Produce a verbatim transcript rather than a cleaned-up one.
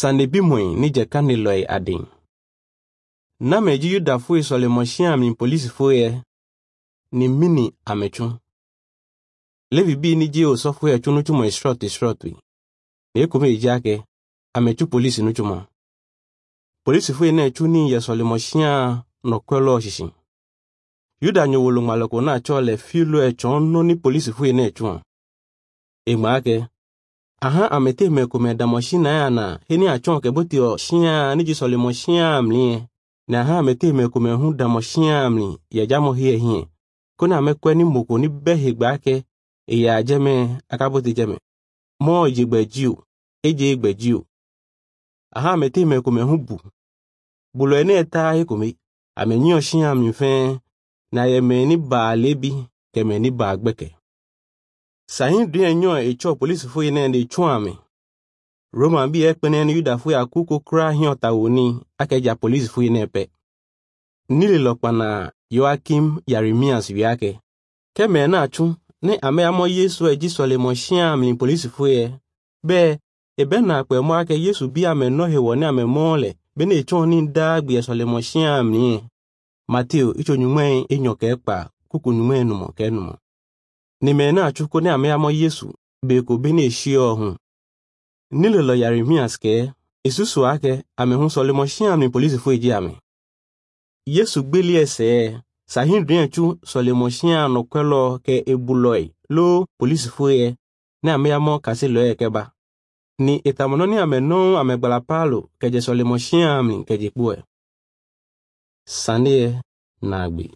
Sanebimɔe ni jekane lɔe aden. Name dzi Yudafoe sɔlemɔsiami polisifoe ni mini ametsu. Levi bi ni dzi osɔfoe tso nutsumɔ esrɔ̃tɔe srɔ̃tɔe. Ne ekome dzi ake ametsu polisi nutsumɔ. Polisifoe ne tsu ni yɛ sɔlemɔsia nɔkɔlɔ sisi. Yuda nyowolo ŋmalɔko na tsɔ le filo etsɔ nɔ ni polisifoe ne tsuɔ. Egba ake aha amete me kome damɔ na ya na heni atsɔ ke botiɔ sia ni dzi sɔlemɔsia mlie. Na aha amete me kome hu damɔ sia mli yɛdzamɔ hie hie. Ko ne ame kɔe ni moko ni bɛ hegba ake eya dzeme akabote dzeme. Mɔ dzigbe dzi o edze gbe dzi o. Aha amete me kome hu bu. Bolo ene eta he kome ame nyiɔ sia mli fɛn na yɛmɛ ni ba lebi kɛmɛ ni ba gbɛkɛ. Sahin dun nyɔ etsɔ polisifoe ne ne tso ame. Roma bi ekpene ni Yudafoe akuko kura hiɔ ta wo ni akedza polisifoe ne pɛ. Nile lɔkpana Yoakim Yeremias wiake. Kɛmɛ na tsu ne ame amɔ Yesu edzi sɔlemɔ sia mli polisifoe bɛ ebe na akpɛ mɔ ake Yesu bi ame nɔ hewɔ ne ame mɔ le be ne etsɔ ni da gbe sɔlemɔ sia mli. Mateo itso nyumɛ enyɔ kɛ kpa kuku nyumɛ numɔ kɛ numɔ. Nime na atsu ko ne ame amɔ Yesu be ko be ne esi ɔhun. Nile lɔ Yeremias kɛ esusu ake ame hu sɔlemɔ sia mli polisifoe dzi ame. Yesu gbeli ɛsɛ sahindrin tsu sɔlemɔ sia nɔkɔlɔ kɛ ebulɔe lo polisifoe ne ame amɔ kasi lɔe kɛ ba. Ni etamɔnɔ ni ame nɔ amegbala paalo kɛdze sɔlemɔ sia mli kɛdze kpoe. Saneɛ na agbe.